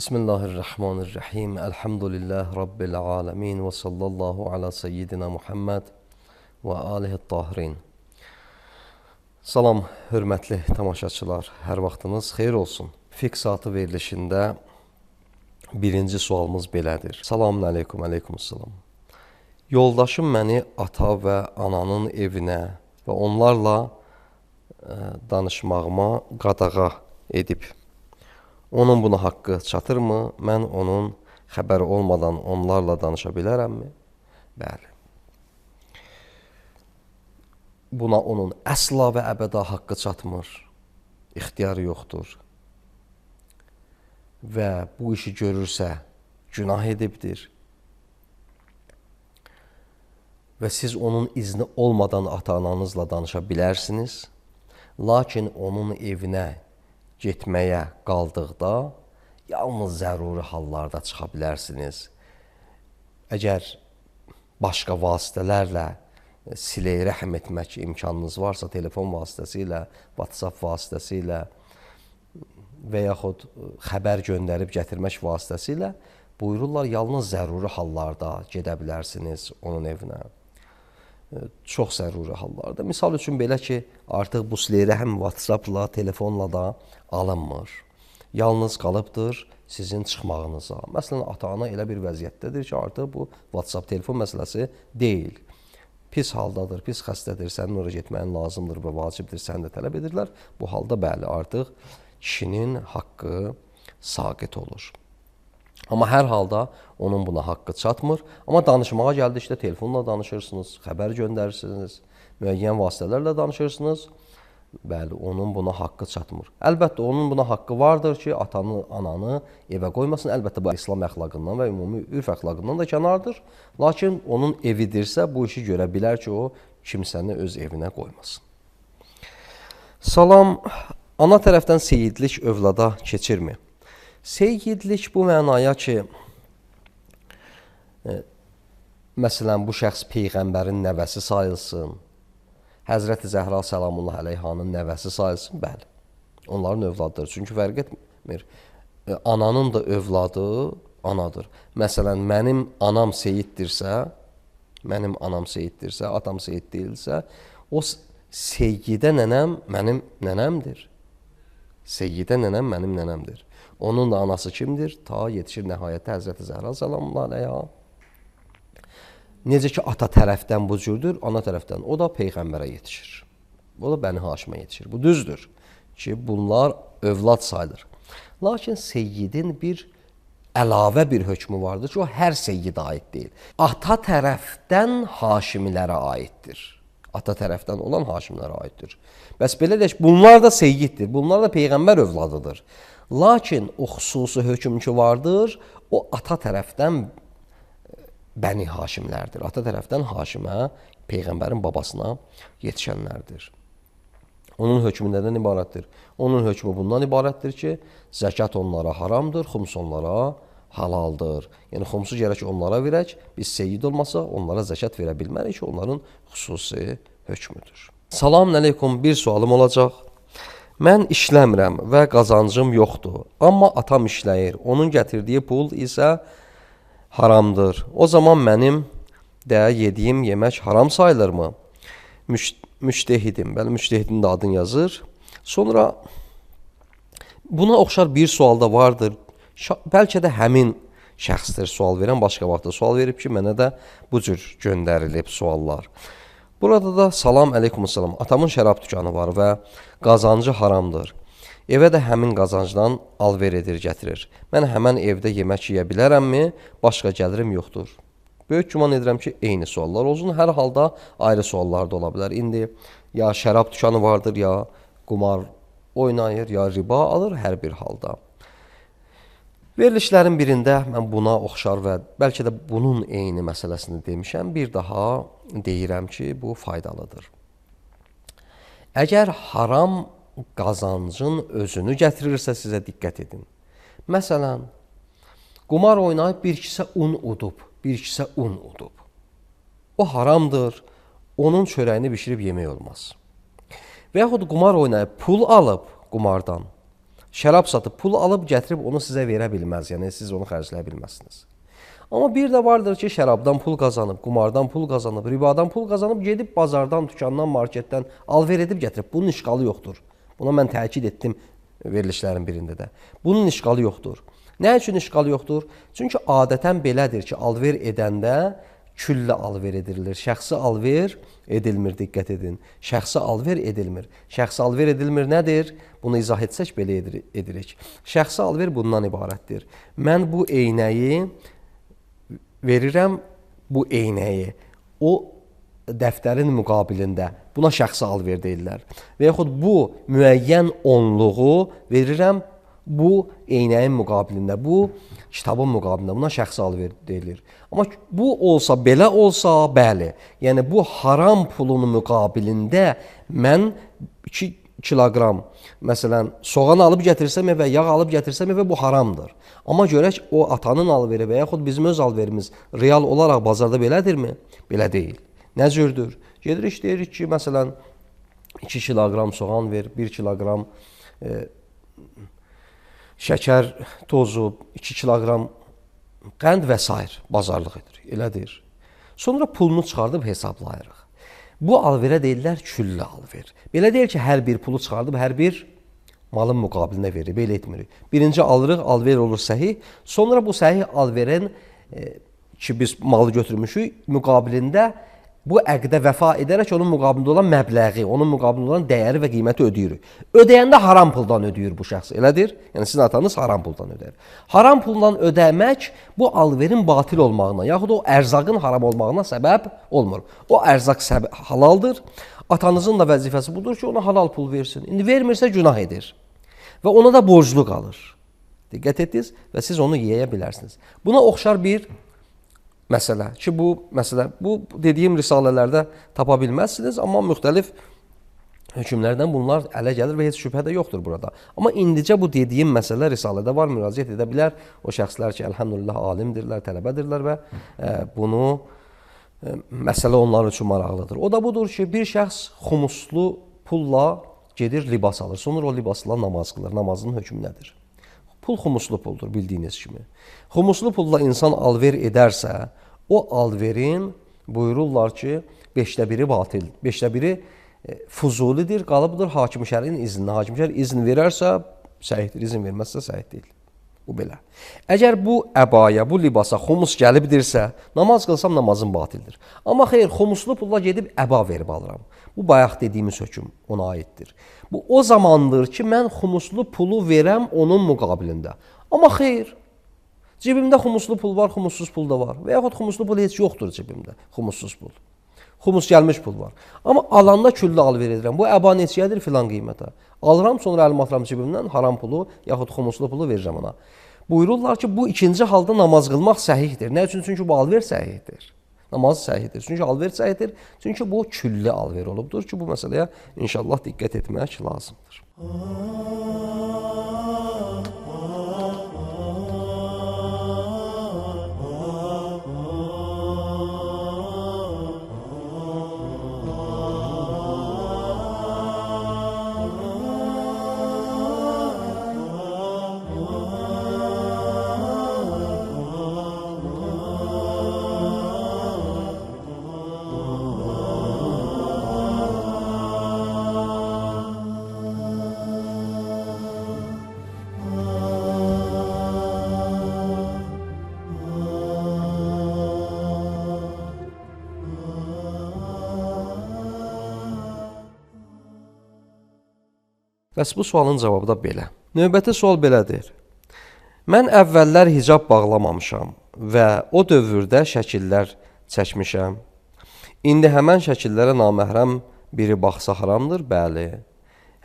Bismillahirrahmanirrahim. Elhamdülillah Rabbil alemin ve sallallahu ala seyyidina Muhammed və alihi tahirin. Salam, hörmətli tamaşaçılar, hər vaxtınız xeyir olsun. Fiqh saatı verilişində birinci sualımız belədir. Selamun aleykum, aleykumsalam. Yoldaşım məni ata və ananın evinə və onlarla danışmağıma qadağa edib. Onun buna haqqı çatırmı? Mən onun xəbəri olmadan onlarla danışa bilərəmmi? Bəli. Buna onun əsla və əbəda haqqı çatmır. İxtiyarı yoxdur. Və bu işi görürsə günah edibdir. Və siz onun izni olmadan ata-ananızla danışa bilərsiniz. Lakin onun evinə getməyə qaldıqda yalnız zəruri hallarda çıxa bilərsiniz. Əgər başqa vasitələrlə silə-i rəhm etmək imkanınız varsa, telefon vasitəsilə, WhatsApp vasitəsilə və yaxud xəbər göndərib gətirmək vasitəsilə buyururlar, yalnız zəruri hallarda gedə bilərsiniz onun evinə. Çox zəruri hallarda. Misal üçün belə ki, artıq bu silə-i rəhm WhatsAppla, telefonla da alınmır. Yalnız qalıbdır sizin çıxmağınıza. Məsələn, ata-ana elə bir vəziyyətdədir ki, artıq bu WhatsApp telefon məsələsi deyil. Pis haldadır, pis xəstədir, sənin oraya getməyin lazımdır və vacibdir, səni də tələb edirlər. Bu halda bəli, artıq kişinin haqqı saqit olur. Amma hər halda onun buna haqqı çatmır. Amma danışmağa gəldikdə telefonla danışırsınız, xəbər göndərirsiniz, müəyyən vasitələrlə danışırsınız. Bəli, onun buna haqqı çatmır. Əlbəttə, onun buna haqqı vardır ki, atanı, ananı evə qoymasın. Əlbəttə, bu İslam əxlaqından və ümumi ürf əxlaqından da kənardır. Lakin onun evidirsə, bu işi görə bilər ki, o kimsəni öz evinə qoymasın. Salam, ana tərəfdən seyidlik övlada keçirmi? Seyidlik bu mənaya ki, məsələn, bu şəxs Peyğəmbərin nəvəsi sayılsın, Həzrəti Zəhra Səlamullah əleyhanın nəvəsi sayılsın, bəli, onların övladıdır. Çünki fərq etmir, ananın da övladı anadır. Məsələn, mənim anam seyiddirsə, atam seyid deyilsə, o seyyidə nənəm mənim nənəmdir. Seyyidə nənəm mənim nənəmdir. Onun da anası kimdir? Ta yetişir nəhayətdə Həzrəti Zəhra Səlamullah əleyha. Necə ki, ata tərəfdən bu cürdür, ana tərəfdən o da Peyğəmbərə yetişir. O da Bəni Haşimə yetişir. Bu düzdür ki, bunlar övlad sayılır. Lakin seyyidin bir əlavə bir hökmü vardır ki, o hər seyyidə aid deyil. Ata tərəfdən Haşimilərə aiddir. Ata tərəfdən olan Haşimlərə aiddir. Bəs belə deyək, bunlar da seyyiddir, bunlar da Peyğəmbər övladıdır. Lakin o xüsusi hökm ki vardır, o ata tərəfdən Bəni Haşimlərdir. Ata tərəfdən Haşimə, Peyğəmbərin babasına yetişənlərdir. Onun hökmü nədən ibarətdir? Onun hökmü bundan ibarətdir ki, zəkat onlara haramdır, xums onlara halaldır. Yəni, xumsu gərək onlara verək, biz seyyid olmasa onlara zəkat verə bilmərik ki, onların xüsusi hökmüdür. Salam əleykum, bir sualım olacaq. Mən işləmirəm və qazancım yoxdur, amma atam işləyir. Onun gətirdiyi pul isə haramdır. O zaman mənim də yediyim yemək haram sayılırmı? Müştehidim. Bəli, müştehidin də adını yazır. Sonra buna oxşar bir sual da vardır. Bəlkə də həmin şəxsdir sual verən, başqa vaxtda sual verib ki, mənə də bu cür göndərilib suallar. Burada da salam əleykumsalam. Atamın şərab dükanı var və qazancı haramdır. Evə də həmin qazancdan alver edir, gətirir. Mən həmən evdə yemək yeyə bilərəmmi? Başqa gəlirim yoxdur. Böyük güman edirəm ki, eyni suallar olsun. Hər halda ayrı suallar da ola bilər. İndi ya şərab dükanı vardır, ya qumar oynayır, ya riba alır hər bir halda. Verilişlərin birində mən buna oxşar və bəlkə də bunun eyni məsələsini demişəm. Bir daha deyirəm ki, bu faydalıdır. Əgər haram qazancın özünü gətirirsə sizə diqqət edin. Məsələn, qumar oynayıb bir kisə un udub, bir kisə un udub. O haramdır, onun çörəyini bişirib yemək olmaz. Və yaxud qumar oynayıb pul alıb qumardan, şərab satıb pul alıb gətirib onu sizə verə bilməz, yəni siz onu xərcləyə bilməzsiniz. Amma bir də vardır ki, şərabdan pul qazanıb, qumardan pul qazanıb, ribadan pul qazanıb, gedib bazardan, dükandan, marketdən alver edib gətirib. Bunun işqalı yoxdur. Buna mən təkid etdim verilişlərin birində də. Bunun işqalı yoxdur. Nə üçün işqalı yoxdur? Çünki adətən belədir ki, alver edəndə küllə alver edilir. Şəxsi alver edilmir, diqqət edin. Şəxsi alver edilmir. Şəxsi alver edilmir nədir? Bunu izah etsək belə edirik. Şəxsi alver bundan ibarətdir. Mən bu eynəyi verirəm, bu eynəyi o dəftərin müqabilində. Buna şəxsi alver deyirlər. Və yaxud bu müəyyən onluğu verirəm, bu eynəyin müqabilində, bu kitabın müqabilində, buna şəxsi alver deyilir. Amma bu olsa, belə olsa, bəli, yəni bu haram pulun müqabilində mən 2 kiloqram, məsələn, soğan alıb gətirsəm və yağ alıb gətirsəm və bu haramdır. Amma görək, o atanın alveri və yaxud bizim öz alverimiz real olaraq bazarda belədirmi? Belə deyil. Nə cürdür? Gedirik, deyirik ki, məsələn, 2 kiloqram soğan ver, 1 kiloqram şəkər tozu, 2 kiloqram qənd və s. bazarlıq edir, elədir. Sonra pulunu çıxardıb hesablayırıq. Bu alverə deyirlər küllə alver. Belə deyil ki, hər bir pulu çıxardıb hər bir malın müqabilində verir, belə etmirik. Birinci alırıq, alver olur səhih. Sonra bu səhih alverin ki, biz malı götürmüşük, müqabilində bu əqdə vəfa edərək onun müqabilində olan məbləği, onun müqabilində olan dəyəri və qiyməti ödəyirik. Ödəyəndə haram puldan ödəyir bu şəxs, elədir? Yəni sizin atanız haram puldan ödəyir. Haram puldan ödəmək bu alverin batil olmağına, yaxud o ərzaqın haram olmağına səbəb olmur. O ərzaq halaldır. Atanızın da vəzifəsi budur ki, ona halal pul versin. İndi vermirsə günah edir və ona da borclu qalır. Diqqət etdiniz və siz onu yeyə bilərsiniz. Buna oxşar bir məsələ ki, bu dediyim risalələrdə tapa bilməzsiniz, amma müxtəlif hökmlərdən bunlar ələ gəlir və heç şübhə də yoxdur burada. Amma indicə bu dediyim məsələ risalədə var, müraciət edə bilər o şəxslər ki, əlhəmdülillah alimdirlər, tələbədirlər və bunu məsələ onlar üçün maraqlıdır. O da budur ki, bir şəxs xumuslu pulla gedir, libas alır. Sonra o libasla namaz qılır. Namazın hökmü nədir? Pul xumuslu puldur, bildiyiniz kimi. Xumuslu pulla insan alver edərsə, o alverin buyururlar ki, 5də biri batil, 5də biri fuzulidir, qalıbdır hakim şərin iznində. Hakim şər izin verərsə, səhihdir, izin verməzsə, səhih deyil. Bu belə. Əgər bu əbaya, bu libasa xumus gəlibdirsə, namaz qılsam namazım batildir. Amma xeyr, xumuslu pulla gedib əba verib alıram. Bu bayaq dediyimiz hökm ona aiddir. Bu o zamandır ki, mən xumuslu pulu verəm onun müqabilində. Amma xeyr, cibimdə xumuslu pul var, xumussuz pul da var. Və yaxud xumuslu pul heç yoxdur cibimdə, xumussuz pul. Xumus gəlmiş pul var. Amma alanda küllə alver edirəm. Bu əba neçəyədir filan qiymətə. Alıram, sonra əlim atıram cibimdən haram pulu, yaxud xumuslu pulu verirəm ona. Buyururlar ki, bu ikinci halda namaz qılmaq səhihdir. Nə üçün? Çünki bu alver səhihdir. Namaz səhihdir. Çünki alver səhihdir. Çünki bu külli alver olubdur ki, bu məsələyə inşallah diqqət etmək lazımdır. Bəs bu sualın cavabı da belə. Növbəti sual belədir. Mən əvvəllər hicab bağlamamışam və o dövrdə şəkillər çəkmişəm. İndi həmən şəkillərə naməhrəm biri baxsa haramdır? Bəli.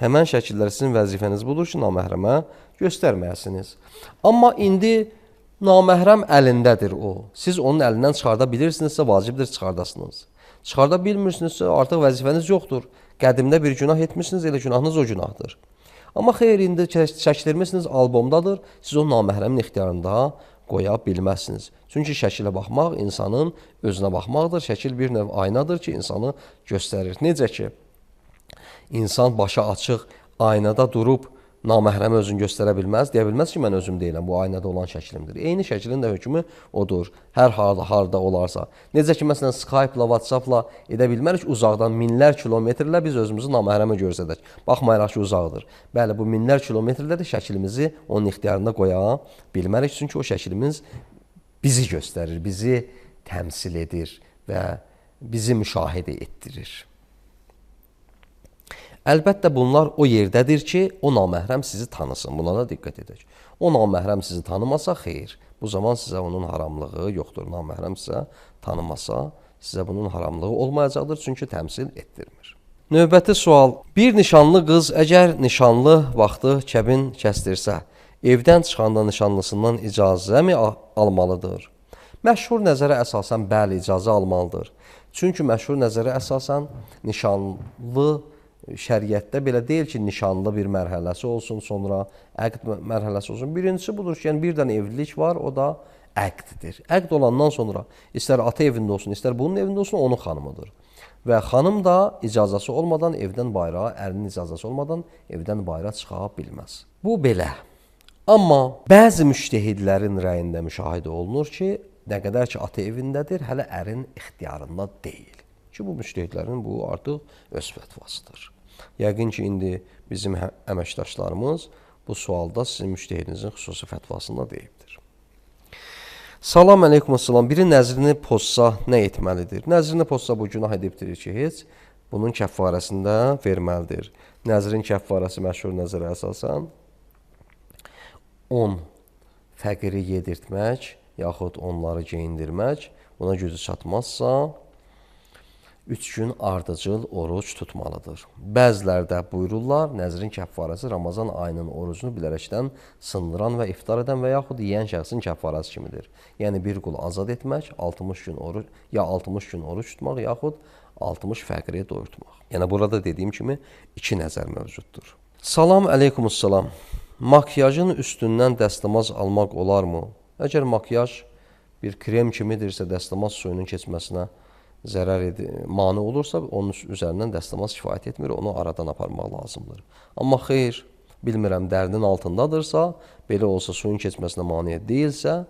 Həmən şəkillər sizin vəzifəniz budur ki, naməhrəmə göstərməyəsiniz. Amma indi naməhrəm əlindədir o. Siz onun əlindən çıxarda bilirsinizsə, vacibdir çıxardasınız. Çıxarda bilmirsinizsə, artıq vəzifəniz yoxdur. Qədimdə bir günah etmişsiniz, elə günahınız o günahdır. Amma xeyr, indi çəkdirmişsiniz, albomdadır, siz o naməhrəmin ixtiyarında qoya bilməzsiniz. Çünki şəkilə baxmaq insanın özünə baxmaqdır. Şəkil bir növ aynadır ki, insanı göstərir. Necə ki, insan başı açıq aynada durub naməhrəmi özünü göstərə bilməz, deyə bilməz ki, mən özüm deyiləm, bu aynada olan şəklimdir. Eyni şəklin də hökmü odur, hər harda olarsa. Necə ki, məsələn, Skype-la, WhatsApp-la edə bilmərik, uzaqdan minlər kilometrlə biz özümüzü naməhrəmə göstərək. Baxmayaraq ki, uzaqdır. Bəli, bu minlər kilometrlə də şəklimizi onun ixtiyarında qoya bilmərik, çünki o şəklimiz bizi göstərir, bizi təmsil edir və bizi müşahidə etdirir. Əlbəttə, bunlar o yerdədir ki, o naməhrəm sizi tanısın. Buna da diqqət edək. O naməhrəm sizi tanımasa, xeyr. Bu zaman sizə onun haramlığı yoxdur. Naməhrəm sizə tanımasa, sizə bunun haramlığı olmayacaqdır, çünki təmsil etdirmir. Növbəti sual. Bir nişanlı qız əgər nişanlı vaxtı kəbin kəsdirsə, evdən çıxanda nişanlısından icazəmi almalıdır? Məşhur nəzərə əsasən bəli, icazə almalıdır. Çünki məşhur nəzərə əsasən nişanlı şəriətdə belə deyil ki, nişanlı bir mərhələsi olsun, sonra əqd mərhələsi olsun. Birincisi budur ki, yəni bir dənə evlilik var, o da əqddir. Əqd olandan sonra istər ata evində olsun, istər bunun evində olsun, onun xanımıdır. Və xanım da icazəsi olmadan evdən bayrağa, ərinin icazəsi olmadan evdən bayrağa çıxa bilməz. Bu belə. Amma bəzi müştəhidlərin rəyində müşahidə olunur ki, nə qədər ki, ata evindədir, hələ ərin ixtiyarında deyil. Ki, bu müştəhidlərin bu artıq öz fətvasıdır. Yəqin ki, indi bizim əməkdaşlarımız bu sualda sizin müştəhidinizin xüsusi fətvasında deyibdir. Salam əleykum, salam. Biri nəzrini pozsa nə etməlidir? Nəzrini pozsa bu günah edibdir ki, heç bunun kəffarəsində verməlidir. Nəzrin kəffarəsi məşhur nəzərə əsasən 10 fəqiri yedirtmək, yaxud onları geyindirmək, buna gücü çatmazsa 3 gün ardıcıl oruc tutmalıdır. Bəzilərdə buyururlar, nəzrin kəffarəsi Ramazan ayının orucunu bilərəkdən sındıran və iftar edən və yaxud yeyən şəxsin kəffarəsi kimidir. Yəni, bir qul azad etmək, 60 gün oruc, ya 60 gün oruc tutmaq, yaxud 60 fəqiri doyurtmaq. Yəni, burada dediyim kimi 2 nəzər mövcuddur. Salam əleykumussalam. Makyajın üstündən dəstəmaz almaq olarmı? Əgər makyaj bir krem kimidirsə, dəstəmaz suyunun keçməsinə mane olursa, onun üzərindən dəstəmaz kifayət etmir, onu aradan aparmaq lazımdır. Amma xeyr, bilmirəm, dərdin altındadırsa, belə olsa suyun keçməsinə maneə deyilsə,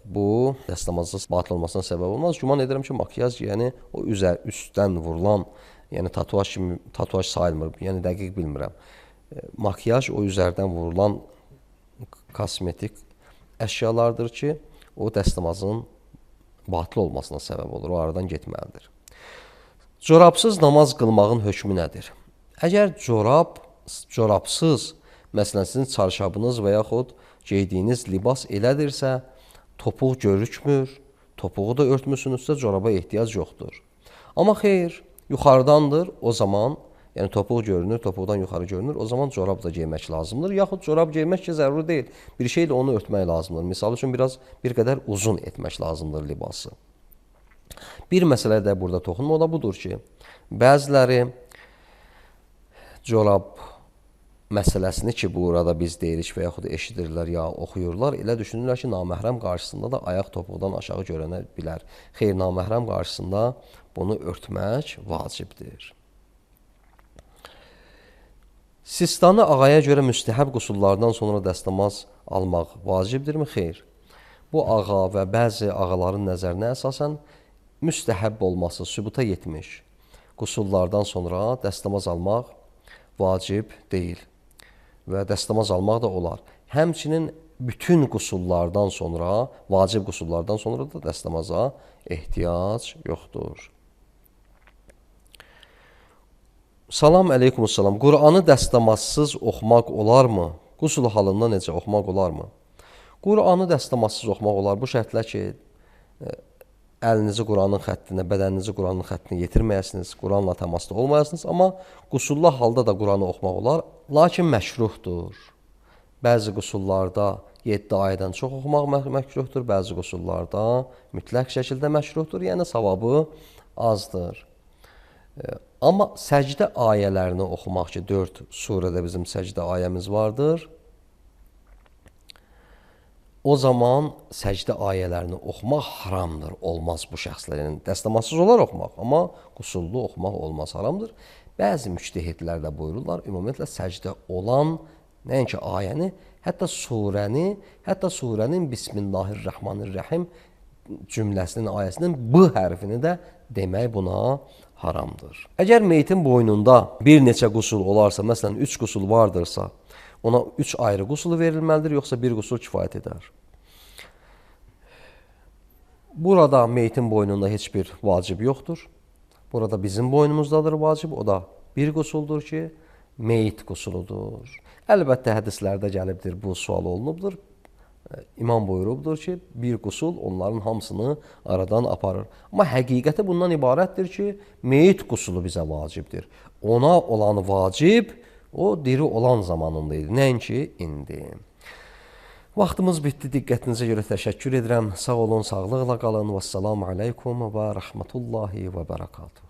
bu dəstəmazın batıl olmasına səbəb olmaz. Güman edirəm ki, makyaj, yəni o üstdən vurulan, yəni tatuaj sayılmır, yəni dəqiq bilmirəm. Makyaj o üzərdən vurulan kosmetik əşyalardır ki, o dəstəmazın batıl olmasına səbəb olur, o aradan getməlidir. Corabsız namaz qılmağın hökmü nədir? Əgər corabsız, məsələn, sizin çarşabınız və yaxud geydiyiniz libas elədirsə, topuq görükmür, topuğu da örtmüsünüzsə, coraba ehtiyac yoxdur. Amma xeyr, yuxarıdandır, o zaman, yəni topuq görünür, topuqdan yuxarı görünür, o zaman corab da geymək lazımdır. Yaxud corab geymək ki, zəruri deyil, bir şeylə onu örtmək lazımdır. Misal üçün, bir qədər uzun etmək lazımdır libası. Bir məsələ də burada toxunma, o da budur ki, bəziləri corab məsələsini ki, burada biz deyirik və yaxud eşidirlər, ya oxuyurlar, elə düşünürlər ki, naməhrəm qarşısında da ayaq topuqdan aşağı görənə bilər. Xeyr, naməhrəm qarşısında bunu örtmək vacibdir. Sistanı ağaya görə müstəhəb qusullardan sonra dəstəmaz almaq vacibdirmi? Xeyr. Bu ağa və bəzi ağaların nəzərinə əsasən müstəhəb olması sübuta yetmiş qusullardan sonra dəstəmaz almaq vacib deyil və dəstəmaz almaq da olar. Həmçinin bütün qusullardan sonra, vacib qusullardan sonra da dəstəmaza ehtiyac yoxdur. Salam əleykumussalam. Qur'anı dəstəmazsız oxumaq olarmı? Qusul halında necə oxumaq olarmı? Qur'anı dəstəmazsız oxumaq olar. Bu şərtlə ki, əlinizi Quranın xəttinə, bədəninizi Quranın xəttinə yetirməyəsiniz, Quranla təmasda olmayasınız, amma qusullu halda da Quranı oxumaq olar, lakin məşruhdur. Bəzi qusullarda 7 ayədən çox oxumaq məkruhdur, bəzi qusullarda mütləq şəkildə məşruhdur, yəni savabı azdır. Amma səcdə ayələrini oxumaq ki, 4 surədə bizim səcdə ayəmiz vardır. O zaman səcdə ayələrini oxumaq haramdır, olmaz bu şəxslər. Yəni, dəstəmazsız olar oxumaq, amma qusullu oxumaq olmaz, haramdır. Bəzi müctəhidlər də buyururlar, ümumiyyətlə səcdə olan nəinki ayəni, hətta surənin Bismillahirrahmanirrahim cümləsinin, ayəsinin B hərfini də demək buna haramdır. Əgər meyitin boynunda bir neçə qusul olarsa, məsələn 3 qusul vardırsa, ona 3 ayrı qusulu verilməlidir, yoxsa bir qusul kifayət edər. Burada meyitin boynunda heç bir vacib yoxdur. Burada bizim boynumuzdadır vacib, o da bir qusuldur ki, meyit qusuludur. Əlbəttə hədislərdə gəlibdir, bu sual olunubdur. İmam buyurubdur ki, bir qusul onların hamısını aradan aparır. Amma həqiqəti bundan ibarətdir ki, meyit qusulu bizə vacibdir. Ona olan vacib, o diri olan zamanında idi, nəinki indi. Vaxtımız bitdi, diqqətinizə görə təşəkkür edirəm. Sağ olun, sağlıqla qalın. Vəssalamu aleykum və rəhmətullahi və bərəkatuhu.